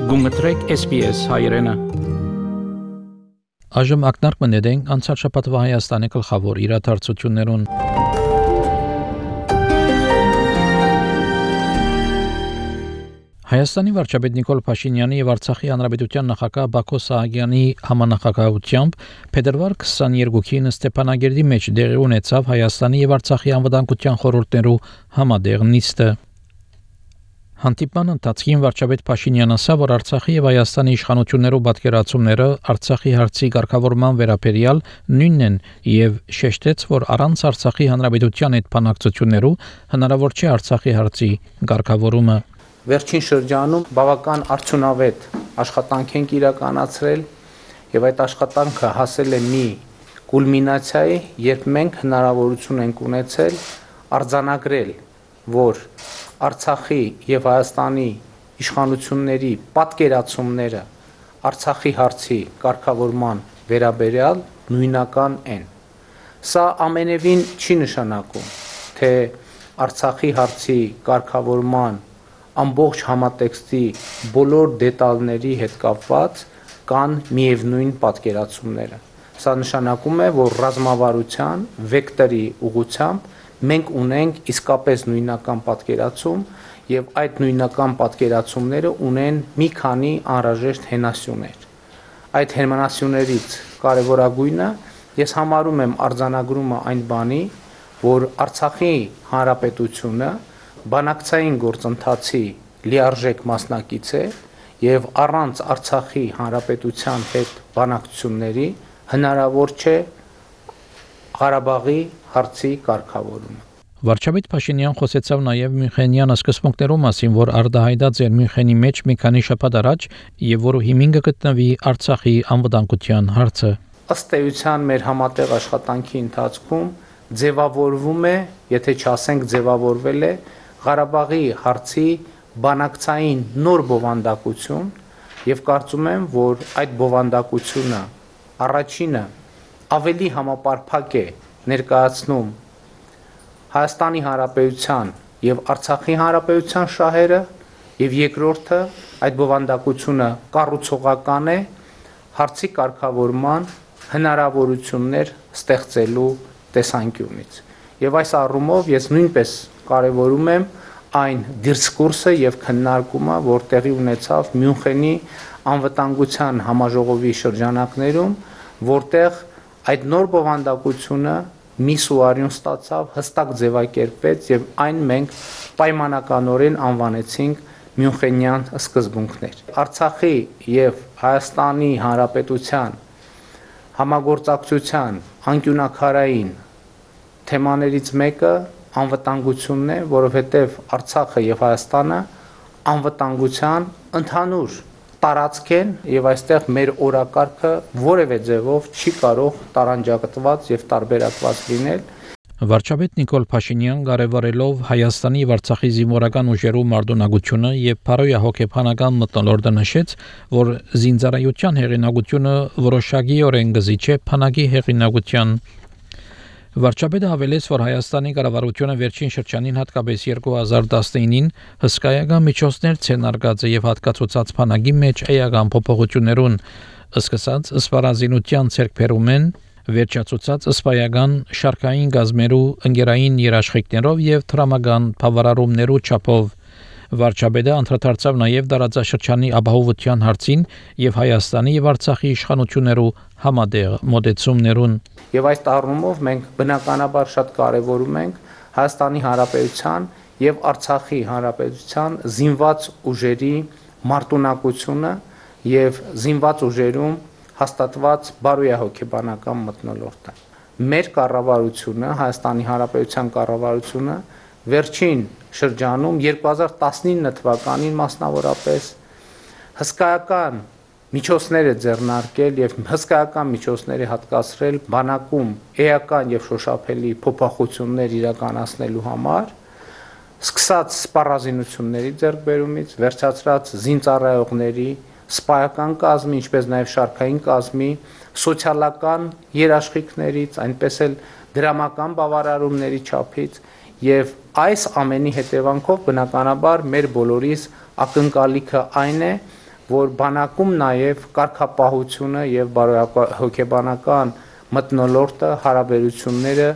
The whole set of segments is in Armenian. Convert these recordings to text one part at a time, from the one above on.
Գումտրեք SPS հայրենը։ Այժմ ակնարկ մնედենք անցած շաբաթվա Հայաստանի գլխավոր իրադարձություններուն։ Հայաստանի վարչապետ Նիկոլ Փաշինյանի եւ Արցախի հանրապետության նախագահ Բակո Սահակյանի համանախագահությամբ փետրվար 22-ին Ստեփանագերդի մեջ դեղի ունեցավ Հայաստանի եւ Արցախի անվտանգության խորհուրդներու համադեղ նիստը։ Հանդիպման ընթացքին վարչապետ Փաշինյանը ասավ, որ Արցախի եւ Հայաստանի իշխանություններու պատկերացումները Արցախի հարցի ղեկավարման վերաբերյալ նույնն են եւ շեշտեց, որ առանց Արցախի հանրապետության հետ բանակցություններու հնարավոր չէ Արցախի հարցի ղեկավարումը։ Վերջին շրջանում բավական արդյունավետ աշխատանք ենք իրականացրել եւ այդ աշխատանքը հասել է մի կուլմինացիայի, երբ մենք հնարավորություն ենք ունեցել արձանագրել, որ Արցախի եւ Հայաստանի իշխանությունների պատկերացումները Արցախի հարցի կարգավորման վերաբերյալ նույնական են։ Սա ամենևին չի նշանակում, թե Արցախի հարցի կարգավորման ամբողջ համատեքստի բոլոր դետալների հետ կապված կան միևնույն պատկերացումները։ Սա նշանակում է, որ ռազմավարության վեկտորի ուղղությամբ մենք ունենք իսկապես նույնական պատկերացում եւ այդ նույնական պատկերացումները ունեն մի քանի անհրաժեշտ հենասյուներ։ Այդ հենասյուներից կարևորագույնը ես համարում եմ արձանագրումը այն բանի, որ Արցախի հանրապետությունը բանակցային գործընթացի լիարժեք մասնակից է եւ առանց Արցախի հանրապետության հետ բանակցությունների հնարավոր չէ Ղարաբաղի հարցի կարգավորումը։ Վարչապետ Փաշինյան խոսեցավ նաև Մյունխենյան սկզբունքներու մասին, որ արտահայտած էր Մյունխենի մեջ մի քանի շաբաթ առաջ եւ որը հիմինը գտնվի Արցախի անվտանգության հարցը։ Ըստ էության մեր համատեղ աշխատանքի ընթացքում ձևավորվում է, եթե չասենք ձևավորվել է Ղարաբաղի հարցի բանակցային նոր բովանդակություն եւ կարծում եմ, որ այդ բովանդակությունը առաջինը ավելի համապարփակ է ներկայացնում Հայաստանի Հանրապետության եւ Արցախի Հանրապետության շահերը եւ երկրորդը այդ բովանդակությունը կառուցողական է հարցի կարգավորման հնարավորություններ ստեղծելու տեսանկյունից։ Եվ այս առումով ես նույնպես կարևորում եմ այն դիսկուրսը եւ քննարկումը, որ տեղի ունեցավ Մյունխենի անվտանգության համաժողովի շրջանակներում, որտեղ այդ նոր բովանդակությունը մի սուարյուն ստացավ, հստակ ձևակերպվեց եւ այն մենք պայմանականորեն անվանեցինք Մյունխենյան սկզբունքներ։ Արցախի եւ Հայաստանի Հանրապետության համագործակցության անկյունակարային թեմաներից մեկը անվտանգությունն է, որովհետեւ Արցախը եւ Հայաստանը անվտանգության ընդհանուր տարածք են եւ այստեղ մեր օրակարգը որևէ ձևով չի կարող տարանջատված եւ տարբերակված լինել։ Վարչապետ Նիկոլ Փաշինյան կարևորելով Հայաստանի եւ Արցախի զինվորական ուժերու մարտունակությունը եւ փարոյահոգեբանական մթնոլորտը նշեց, որ զինծառայության հեղինակությունը որոշակիորեն գզի չէ բանակի հեղինակության։ Վարչապետը հավելեց, որ Հայաստանի կառավարությունը վերջին շրջանին հատկապես 2019-ին հսկայական միջոցներ ցենարգած եւ հատկացուցած բանակի մեջ էական փոփոխություններուն սկսած սպառազինության ցերկբերումեն վերջացուցած սպայական շարքային գազմերու ընկերային երաշխիքներով եւ տրամական բավարարումներու չափով Վարչապետը անդրադարձավ նաև տարածաշրջանի ապահովության հարցին եւ Հայաստանի եւ Արցախի իշխանություններու համադեղ մոտեցումներուն։ Եվ այս առումով մենք բնականաբար շատ կարևորում ենք Հայաստանի Հանրապետության եւ Արցախի Հանրապետության զինված ուժերի մարտունակությունը եւ զինված ուժերում հաստատված բարոյահոգեբանական մթնոլորտը։ Մեր կառավարությունը, Հայաստանի Հանրապետության կառավարությունը վերջին շրջանում 2019 թվականին մասնավորապես հսկայական միջոցներ է ձեռնարկել եւ հսկայական միջոցներ է հատկացրել բանակում էական եւ շոշափելի փոփոխություններ իրականացնելու համար, սկսած սպառազինությունների ձեռքբերումից, վերջացրած զինծառայողների սպայական կազմի, ինչպես նաեւ շարքային կազմի, սոցիալական երաշխիքներից, այնպես էլ դրամական բավարարումների չափից եւ այս ամենի հետևանքով բնականաբար մեր բոլորիս ակնկալիքը այն է, որ բանակում նաև կարգապահությունը եւ հոգեբանական մթնոլորտը հարաբերությունները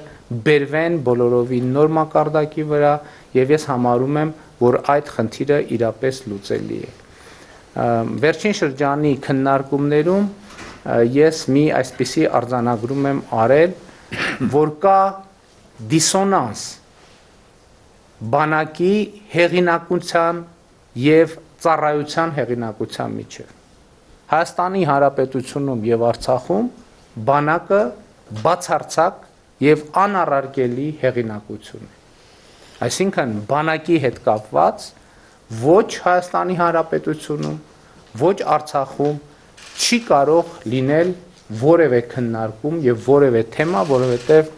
բերվեն բոլորովին նոր մակարդակի վրա եւ ես համարում եմ, որ այդ խնդիրը իրապես լուծելի է։ Վերջին շրջանի քննարկումներում ես մի այսպիսի արձանագրում եմ արել, որ կա դիսոնանս բանակի հեղինակության եւ ծառայության հեղինակության միջև։ Հայաստանի Հանրապետությունում եւ Արցախում բանակը բացարձակ եւ անառարկելի հեղինակություն է։ Այսինքն բանակի հետ կապված ոչ Հայաստանի Հանրապետությունում, ոչ Արցախում չի կարող լինել որևէ քննարկում եւ որևէ թեմա, որովհետեւ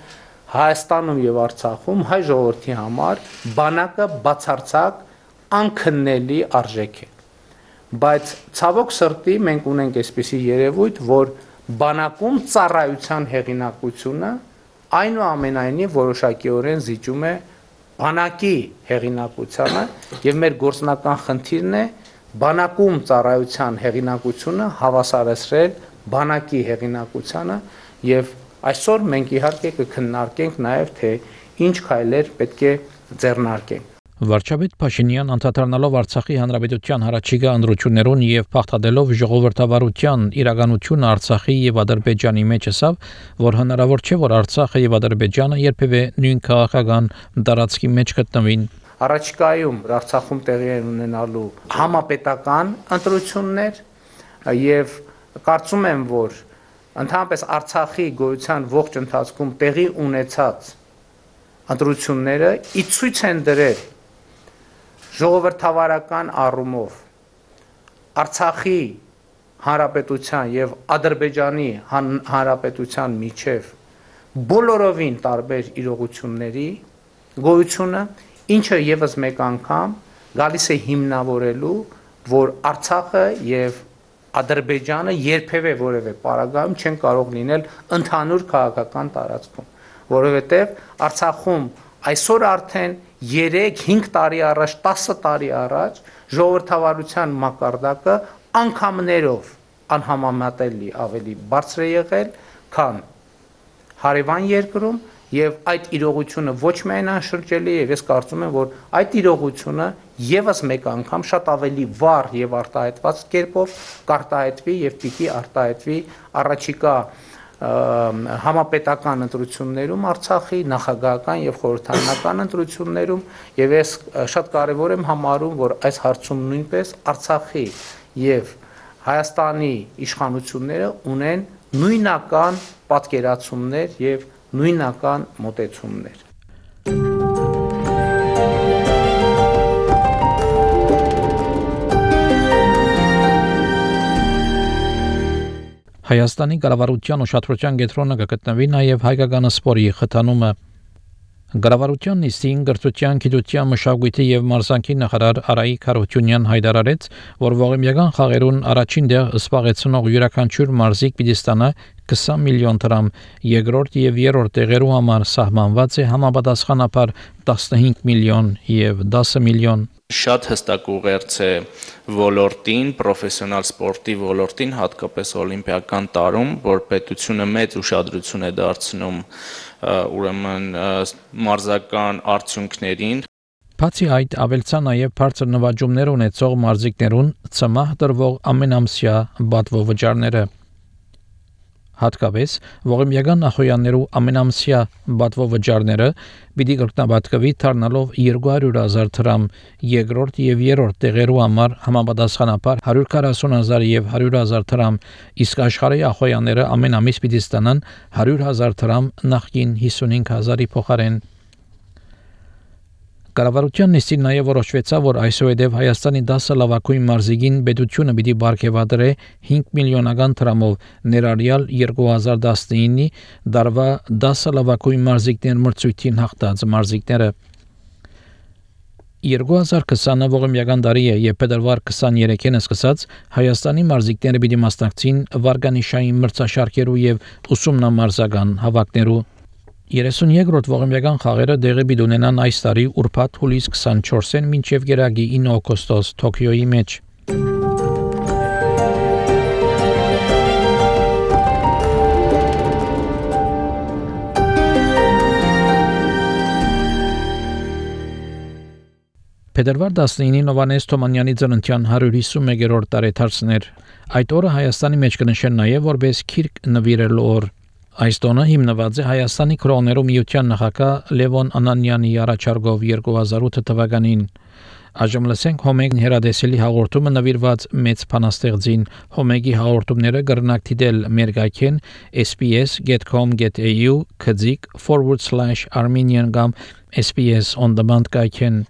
Հայաստանում եւ Արցախում հայ ժողովրդի համար բանակը բացարձակ անքննելի արժեք է։ Բայց ցավոք սրտի մենք ունենք այսպիսի երևույթ, որ բանակում ծառայության հեղինակությունը այնուամենայնիվ որոշակիորեն զիջում է բանակի հեղինակությանը եւ մեր գործնական խնդիրն է բանակում ծառայության հեղինակությունը հավասարեցրել բանակի հեղինակությանը եւ այսօր մենք իհարկե կքննարկենք նաեւ թե ինչ քայլեր պետք է ձեռնարկենք։ Վարչապետ Փաշինյան անդրադառնալով Արցախի Հանրապետության հարաճիգա ընտրություններուն եւ փախտadելով ժողովրդավարության իրականությունը Արցախի եւ Ադրբեջանի մեջ ասավ, որ հնարավոր չէ, որ Արցախը եւ Ադրբեջանը երբևէ նույն քաղաքական տարածքի մեջ գտնվին։ Առաջիկայում Արցախում տեղի են ունենալու համապետական ընտրություններ եւ կարծում եմ, որ ընդհանրապես Արցախի գոյության ողջ ընթացքում տեղի ունեցած ընտրությունները ի ցույց են դրել ժողովրդավարական առումով Արցախի Հանրապետության եւ Ադրբեջանի Հանրապետության միջև բոլորովին տարբեր իրողությունների գոյությունը, ինչը եւս մեկ անգամ գալիս է հիմնավորելու, որ Արցախը եւ Ադրբեջանը երբևէ որևէ պարագայում չեն կարող լինել ընդհանուր քաղաքական տարածքում, որովհետեւ Արցախում այսօր արդեն 3-5 տարի առաջ, 10 տարի առաջ ժողովրդավարության մակարդակը անգամներով անհամեմատելի ավելի բարձր է եղել, քան հարևան երկրում եւ այդ իրողությունը ոչ միայն անշրջելի է, եւ ես կարծում եմ, որ այդ իրողությունը եւս մեկ անգամ շատ ավելի վառ եւ արտահայտված կերպով կարտահայտվի եւ պիտի արտահայտվի առաջիկա համապետական ընտրություններում Արցախի նախագահական եւ խորհրդարանական ընտրություններում եւ ես շատ կարեւոր եմ համարում, որ այս հարցում նույնպես Արցախի եւ Հայաստանի իշխանությունները ունեն նույնական պատկերացումներ եւ նույնական մոտեցումներ։ Հայաստանի կառավարության ուշադրության կենտրոնը կգտնվի նաև հայկական սպորտի խթանումը։ Կառավարության նիստին գրթության, գիտության, մշակույթի եւ մարզանկի նախարար Արայիկ Հարությունյան հայտարարեց, որ ողիմյական խաղերուն առաջին դեղ զբաղեցնող յուրաքանչյուր մարզիկ պիտի ստանա 20 միլիոն դրամ, երկրորդ եւ երրորդ տեղերու համար սահմանված է համապատասխանաբար 15 միլիոն եւ 10 միլիոն։ Շատ հստակ ուղերձ է ոլորտին, պրոֆեսիոնալ սպորտի ոլորտին, հատկապես օլիմպիական տարում, որ պետությունը մեծ ուշադրություն է դարձնում ուրեմն մարզական արդյունքներին։ Բացի այդ, ավելցա նաև բարձր նվաճումներ ունեցող մարզիկներուն ծմահ տրվող ամենամսյա բադվո վճարները։ Հատկապես ողիմյական նախոյաններու ամենամսյա բադվո վճարները պիտի կրկնաբատկվի դառնալով 200,000 դրամ, երկրորդ եւ երրորդ տեղերու համար համապատասխանաբար 140,000 եւ 100,000 դրամ, իսկ աշխարհի ախոյանները ամեն ամիս պիտի ստանան 100,000 դրամ նախկին 55,000-ի փոխարեն։ Կառավարության նիստին նաև որոշվեցավ, որ այսուհետ Հայաստանի 10 լավագույն մարզիկին պետությունը պիտի բարգեւադրե 5 միլիոնական դրամով ներառյալ 2019-ի դարվա 10 լավագույն մարզիկներ մրցույթին հաղթած մարզիկները։ 2020-ը ողիմյական տարի է, եւ փետրվար 23-ին սկսած Հայաստանի մարզիկները պիտի մասնակցին վարգանիշային մրցաշարքերու եւ ուսումնամարզական հավաքներու։ 32-րդ ողիմյական խաղերը դեղի պիտի ունենան այս տարի ուրբաթ հուլիս 24-ին մինչև գերագի 9 օգոստոս Թոքիոյի մեջ։ Փետրվար 19-ին Հովհաննես Թումանյանի ծննդյան 151-րդ տարեդարձն էր։ Այդ օրը Հայաստանի մեջ կնշեն նաև որպես Քիրք նվիրելու օր։ Այս տոնը հիմնված է Հայաստանի քրոներու միության նախագահ Լևոն Անանյանի առաջարկով 2008 թվականին։ Այժմ լսենք Հոմեգ հերադեսելի հաղորդումը նվիրված մեծ բանաստեղծին։ Հոմեգի հաղորդումները կրնակ դիտել մեր գայքեն sps.com.au/armenian կամ SPS on demand գայքեն։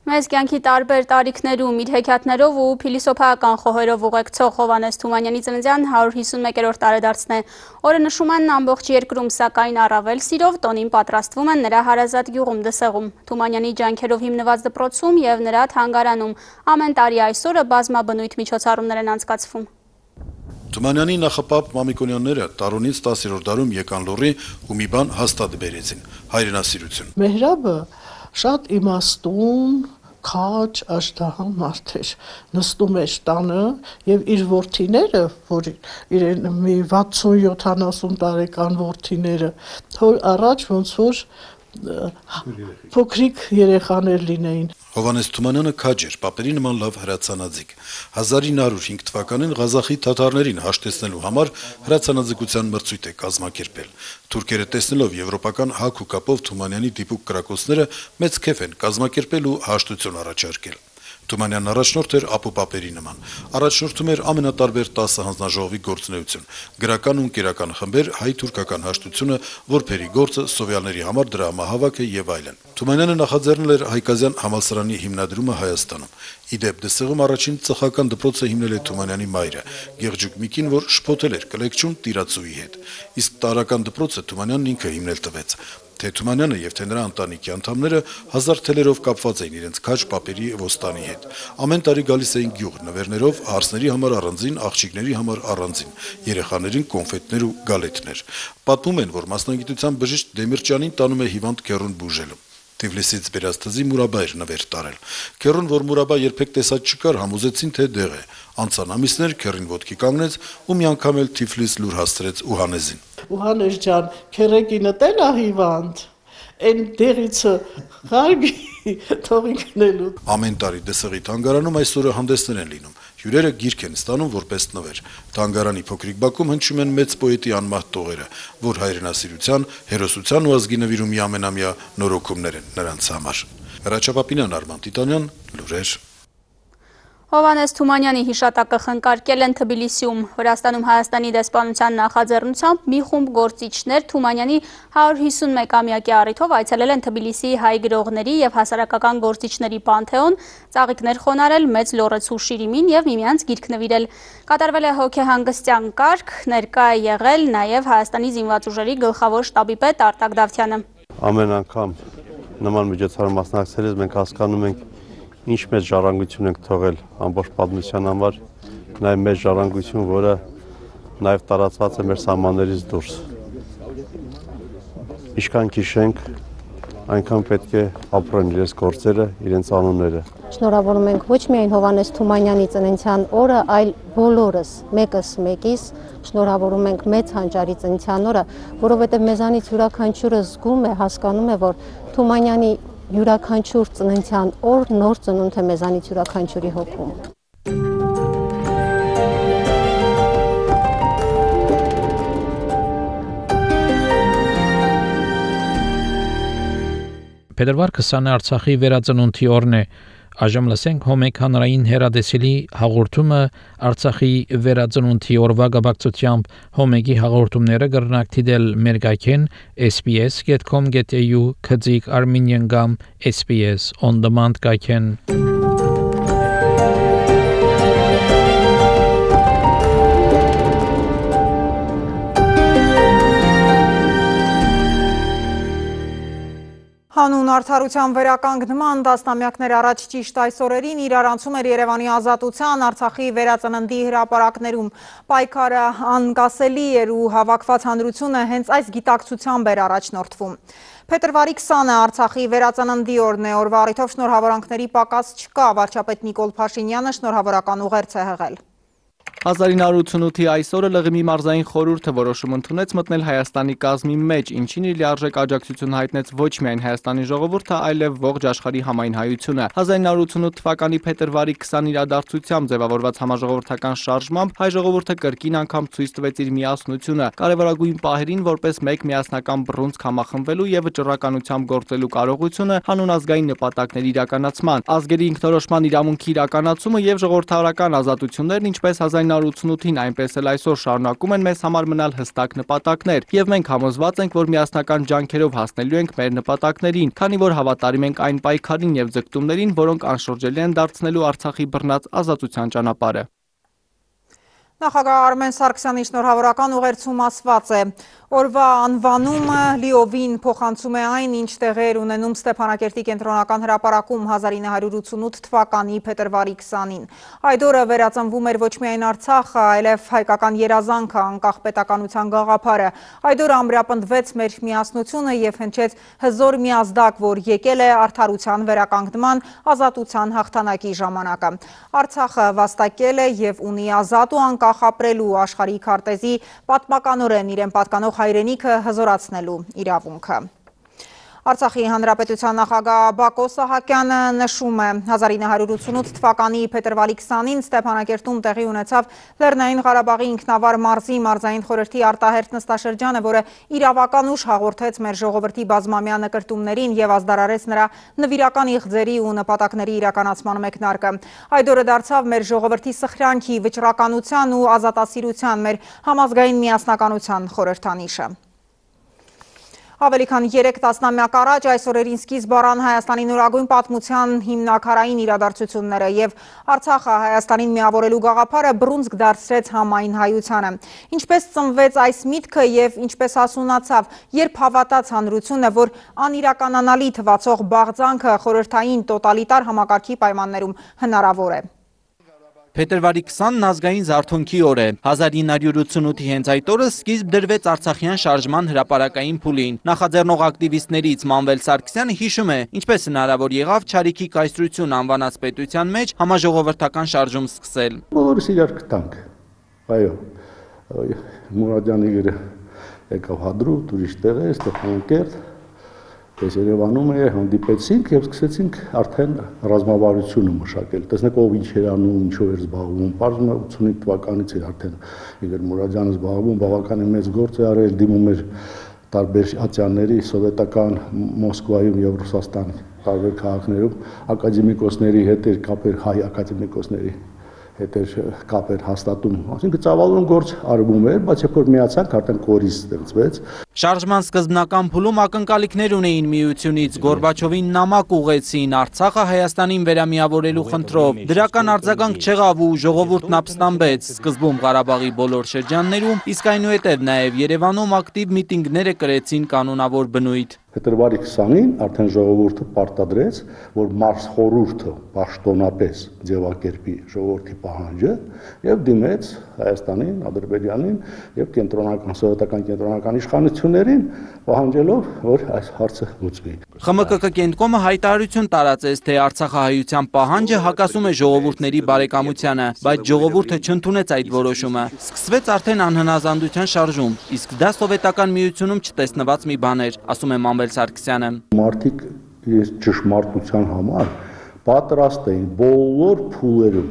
Մեծ կյանքի տարբեր տարիքներում իր հեքիաթներով ու փիլիսոփայական խոհերով ուղեկցող Հովհաննես Թումանյանի ծննդյան 151-րդ տարեդարձն է։ Օրը նշում են ամբողջ երկրում, սակայն առավել սիրով տոնին պատրաստվում են նրա հարազատ գյուղում Դսեղում։ Թումանյանի ջանքերով հիմնված դպրոցում եւ նրա թանգարանում ամեն տարի այս օրը բազմաբնույթ միջոցառումներ են անցկացվում։ Թումանյանի նախապապ Մամիկոնյանները տարունից 10-րդ դարում եկան լոռի ու մի բան հաստատ բերեցին՝ հայրենասիրություն։ Մեհրաբը շատ իմաստուն, քաջ, աշտահան մարդ էր, նստում էր տանը եւ իր որդիները, որ իրեն մի 60-70 տարեկան որդիները, թող առաջ ոնց որ փոքրիկ երեխաներ լինեին։ Հովհաննես Թումանյանը քաջ էր, պապերի նման լավ հրացանաձիկ։ 1905 թվականին Ղազախի թաթարներին հաշտեցնելու համար հրացանաձգության մրցույթ է կազմակերպել։ Թուրքերը տեսնելով եվրոպական հակ ու կապով Թումանյանի դիպուկ կրակոցները մեծ քեֆ են կազմակերպել ու հաշտություն առաջարկել։ Թումանյանն առաջնորդ էր ապուպապերի նման։ Առաջնորդում էր ամենատարբեր 10 հանձնաժողովի գործունեություն, գրական ու ընկերական խմբեր, հայ-թուրքական հաշտությունը, որբերի գործը, սովյալների համար դրամահավաքը եւ այլն։ Թումանյանը նախաձեռնել էր Հայկազյան համալսարանի հիմնադրումը Հայաստանում։ Իդեպ Դսեղում առաջին ծխական դպրոցը հիմնել է Թումանյանի մայրը, Գեղջուկ Միկին, որ շփոթել էր կլեկչուն տիրացուի հետ։ Իսկ տարրական դպրոցը Թումանյանն ինքը հիմնել տվեց։ Թե Թումանյանը եւ թե նրա ընտանիքի անդամները հազար թելերով կապված էին իրենց քաջ պապերի ոստանի հետ։ Ամեն տարի գալիս էին գյուղ նվերներով, հարսների համար առանձին, աղջիկների համար առանձին, երեխաներին կոնֆետներ ու գալետներ։ Պատմում են, որ մասնագիտության բժիշկ Դեմիրճյանին տանում է հիվանդ քեռուն բուժելու։ Թիֆլիսից բերած թզի Մուրաբա էր նվեր տարել։ Քեռուն, որ Մուրաբա երբեք տեսած չկար, համոզեցին, թե դեղ է։ Անցան ամիսներ, քեռին ոտքի կանգնեց ու մի անգամ էլ Թիֆլիս լուր հասցրեց Ուհանեզին։ Ուհանես ջան, քերեկինը տենա հիվանդ, են դեղիցը խարգի թողի գնելու։ Ամեն տարի Դսեղի թանգարանում այսօրը հանդեսներ են լինում։ Հյուրերը գիրք են ստանում որպես նվեր։ Թանգարանի փոքրիկ բակում հնչում են մեծ պոետի անմահ տողերը, որ հայրենասիրության, հերոսության ու ազգի նվիրումի ամենամյա նորոգումներ են նրանց համար։ Հրաչապապինյան, Արման Տիտանյան, լուրեր։ Հովհաննես Թումանյանի հիշատակը խնկարկել են Թբիլիսիում։ Վրաստանում Հայաստանի դեսպանության նախաձեռնությամբ մի խումբ գործիչներ Թումանյանի 151-ամյակի առիթով այցելել են Թբիլիսիի հայ գրողների եւ հասարակական գործիչների պանթեոն, ծաղիկներ խոնարել, մեծ լոռեցու շիրիմին եւ միմյանց գիրք նվիրել։ Կատարվել է հոգեհանգստյան կարգ, ներկա է եղել նաեւ Հայաստանի զինված ուժերի գլխավոր շտաբի պետ Արտակ Դավթյանը։ Ամեն անգամ նման միջոցառում մասնակցելիս մենք հասկանում ենք ինչ մեծ ժառանգություն ենք թողել ամբողջ պատմության համար, նաև մեծ ժառանգություն, որը նաև տարածված է մեր սահմաններից դուրս։ Ինչքան քիշենք, այնքան պետք է ապրեն իրենց գործերը, իրենց անունները։ Շնորհավորում ենք ոչ միայն Հովհաննես Թումանյանի ծննդյան օրը, այլ բոլորս, մեկս մեկիս շնորհավորում ենք մեծ հանճարի ծննդյան օրը, որովհետև մեզանից յուրաքանչյուրը զգում է, հասկանում է, որ Թումանյանի յուրաքանչյուր ծննդյան օր նոր ծնունդ է մեզանից յուրաքանչյուրի հոգում։ Փետրվար 20-ը Արցախի վերածնունդի օրն է։ Այժմ լսենք Հոմեգ հանրային հերադեսելի հաղորդումը Արցախի վերածնունդի օրվա գաբակցությամբ Հոմեգի հաղորդումները կրնակ դիտել մեր գայքեն sps.com.au/armenian կամ SPS on demand գայքեն։ Հանուն արդարության վերականգնման տասնամյակներ առաջ ճիշտ այս օրերին իրարանցում էր Երևանի ազատության Արցախի վերածննդի հրապարակներում։ Պայքարը անկասելի էր ու հավաքված հանրությունը հենց այս գիտակցությամբ էր առաջնորդվում։ Փետրվարի 20-ը Արցախի վերածննդի օրն է, օրվա առիթով շնորհավորանքների պակաս չկա, վարչապետ Նիկոլ Փաշինյանը շնորհավորական ուղերձ է հղել։ 1988-ի այսօրը ԼՂՄ մարզային խորհուրդը որոշում ընդունեց մտնել Հայաստանի կազմի մեջ, ինչին իր լիարժեք աջակցություն հայտնեց ոչ միայն Հայաստանի ժողովուրդը, այլև ողջ աշխարհի համայն հայությունը։ 1988 թվականի փետրվարի 20 իրադարձությամբ ձևավորված համաժողովրդական շարժմամբ հայ ժողովուրդը կրկին անգամ ցույց տվեց իր միասնությունը, կարևորագույն պահերին որպես մեկ միասնական բռունցք համախմբվելու եւ վճռականությամբ գործելու կարողությունը հանուն ազգային նպատակների իրականացման, ազգերի ինքնորոշման իրավունքի իրականացումը եւ ժողովրդավարական ազատություններն, ինչպես 1988-ին, այնպես էլ այսօր շարունակում են մեզ համար մնալ հստակ նպատակներ, եւ մենք համոզված ենք, որ միասնական ջանքերով հասնելու ենք մեր նպատակներին, քանի որ հավատարիմ ենք այն պայքարին եւ ձգտումներին, որոնք անշրջելի են դարձնելու Արցախի բռնած ազատության ճանապարհը։ Նախագահ Արմեն Սարգսյանի շնորհավորական ուղերձում ասված է. Օրվա անվանումը լիովին փոխանցում է այն, ինչ տեղեր ունենում Ստեփանակերտի կենտրոնական հրապարակում 1988 թվականի փետրվարի 20-ին։ Այդ օրը վերածնվում էր ոչ միայն Արցախը, այլև հայկական երազանքը, անկախ պետականության գաղափարը։ Այդ օրը ամրապնդվեց մեր միասնությունը եւ հնչեց հզոր միազդակ, որ եկել է արդարության վերականգնման, ազատության հաղթանակի ժամանակը։ Արցախը վաստակել է եւ ունի ազատ ու անկախ ապրելու աշխարհի քարտեզի պատմականորեն իրեն պատկանող հայրենիքը հզորացնելու իրավունքը։ Արցախի հանրապետության նախագահ Բակո Սահակյանը նշում է 1988 թվականի փետրվարի 20-ին Ստեփանակերտում տեղի ունեցավ Լեռնային Ղարաբաղի ինքնավար մարզի մարզային խորհրդի արտահերթ նստաշրջանը, որը իրավական ուժ հաղորդեց մեր ժողովրդի բազմամյա նկրտումներին եւ ազդարարեց նրա նվիրական իղձերի ու նպատակների իրականացման մեկնարկը։ Այդ օրը դարձավ մեր ժողովրդի սխրանքի, վճռականության ու ազատասիրության, մեր համազգային միասնականության խորհրդանիշը։ Ավելի քան 3 տասնամյակ առաջ այս օրերին սկիզբ առան Հայաստանի նորագույն պատմության հիմնակարային իրադարձությունները եւ Արցախը Հայաստանին միավորելու գաղափարը բռունցք դարձրեց համայն հայությանը։ Ինչպես ծնվեց այս միտքը եւ ինչպես հասունացավ, երբ հավատաց հանրությունը, որ անիրականանալի թվացող բաղձանքը խորհրդային տոտալիտար համակարգի պայմաններում հնարավոր է։ Փետրվարի 20-ն ազգային զարթոնքի օր է։ 1988-ի հենց այդ օրը սկիզբ դրվեց Արցախյան շարժման հրապարակային փուլին։ Նախաձեռնող ակտիվիստներից Մանվել Սարգսյանը հիշում է, ինչպես հնարավոր եղավ Չարիքի կայսրություն անվանած պետության մեջ համաժողովրդական շարժում սկսել։ Բոլորս իրար գտանք։ Այո, Մուրադյանի գիրը եկավ Հադրութ, ուրիշ տեղեր, Ստեփանակերտ, Ես Երևանում հանդիպեցինք եւ սկսեցինք արդեն ռազմավարությունը մշակել։ Տեսնեք ով ինչ էր անում, ինչով էր զբաղվում։ Պարզվում է 85 թվականից էր արդեն Իգոր Մուրադյանը զբաղվում, բավականին մեծ գործ է արել, դիմում էր տարբեր ատյանների, սովետական Մոսկվայում եւ Ռուսաստանի տարբեր քաղաքներում ակադեմիկոսների հետ էր կապեր, հայ ակադեմիկոսների հետ էր կապեր հաստատում, այսինքն ծավալուն գործ արվում էր, բայց երբ որ միացանք, արդեն կորիզ ստեղծվեց։ Շարժման սկզբնական փուլում ակնկալիքներ ունեին միությունից, Գորբաչովին նամակ ուղղեցին Արցախը Հայաստանին վերամիավորելու խնդրով։ Դրական արձագանք չեղավ ու ժողովուրդն ապստամբեց, սկզբում Ղարաբաղի բոլոր շրջաններում, իսկ այնուհետև նաև Երևանում ակտիվ միտինգները կրեցին կանոնավոր բնույթ։ Փետրվարի 20-ին արդեն ժողովուրդը պարտադրեց, որ մարզխորհուրդը պաշտոնապես ձևակերպի ժողովրդի պահանջը եւ դիմեց Հայաստանին, Ադրբեջանին եւ կենտրոնական սովետական կենտրոնական իշխանություններին, պահանջելով, որ այս հարցը լուծվի։ ԽՄԿԿ կենտրոնը հայտարարություն տարածեց, թե Արցախահայության պահանջը հակասում է ժողովուրդների բարեկամությանը, բայց ժողովուրդը չընդունեց այդ որոշումը։ Սկսվեց արդեն անհնազանդության շարժում, իսկ դա սովետական միությունում չտեսնված մի բան էր, ասում է Մանվել Սարգսյանը։ Մարդիկ ճշմարտության համար պատրաստ էին բոլոր փուլերում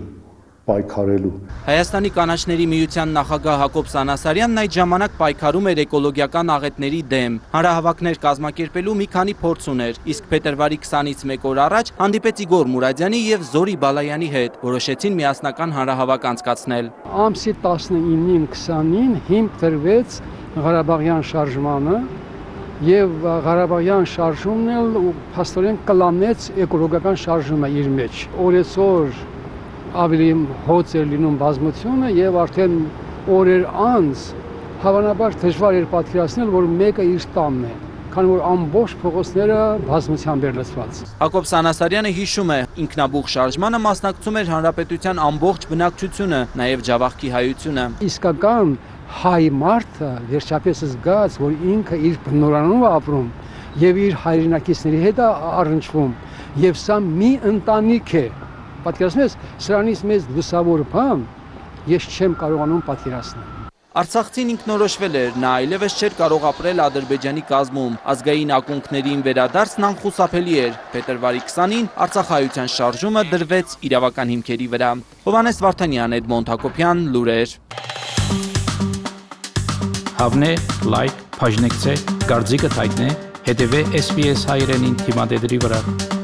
պայքարելու։ Հայաստանի կանաչների միության նախագահ Հակոբ Սանասարյանն այդ ժամանակ պայքարում էր էկոլոգիական աղետների դեմ։ Հանրահավաքներ կազմակերպելու մի քանի փորձ ուներ, իսկ փետրվարի 20-ից մեկ օր առաջ հանդիպեց Իգոր Մուրադյանի եւ Զորի Բալայանի հետ, որոշեցին միասնական հանրահավաք անցկացնել։ Ամսի 19-ին 20-ին հիմք դրվեց Ղարաբաղյան շարժմանը եւ Ղարաբաղյան շարժումն էլ փաստորեն կլանեց էկոլոգիական շարժումը իր մեջ։ Օրեցօր ավելի հոծ էր լինում բազմությունը եւ արդեն օրեր անց հավանաբար դժվար էր պատկերացնել, որ մեկը իր տանն է, քանի որ ամբողջ փողոցները բազմությամբ էր լցված։ Հակոբ Սանասարյանը հիշում է, ինքնաբուխ շարժմանը մասնակցում էր հանրապետության ամբողջ բնակչությունը, նաեւ Ջավախքի հայությունը։ Իսկական հայ մարդը վերջապես զգաց, որ ինքը իր բնորանով ապրում եւ իր հայրենակիցների հետ առնչվում, եւ սա մի ընտանիք է։ Պատկերացնես, սրանից մեծ լուսավոր բան ես չեմ կարողանում պատկերացնել։ Արցախցին ինքնորոշվել էր, նա այլևս չէր կարող ապրել Ադրբեջանի կազմում, ազգային ակունքներին վերադարձն անխուսափելի էր։ Փետրվարի 20-ին Արցախայության շարժումը դրվեց իրավական հիմքերի վրա։ Հովհաննես Վարդանյան, Էդմոնդ Հակոբյան, լուրեր։ Հավնե, լայք, բաժնեկցե, դարձիկը թայտնե, հետևե SBS հայրենին թիմադեդրի վրա։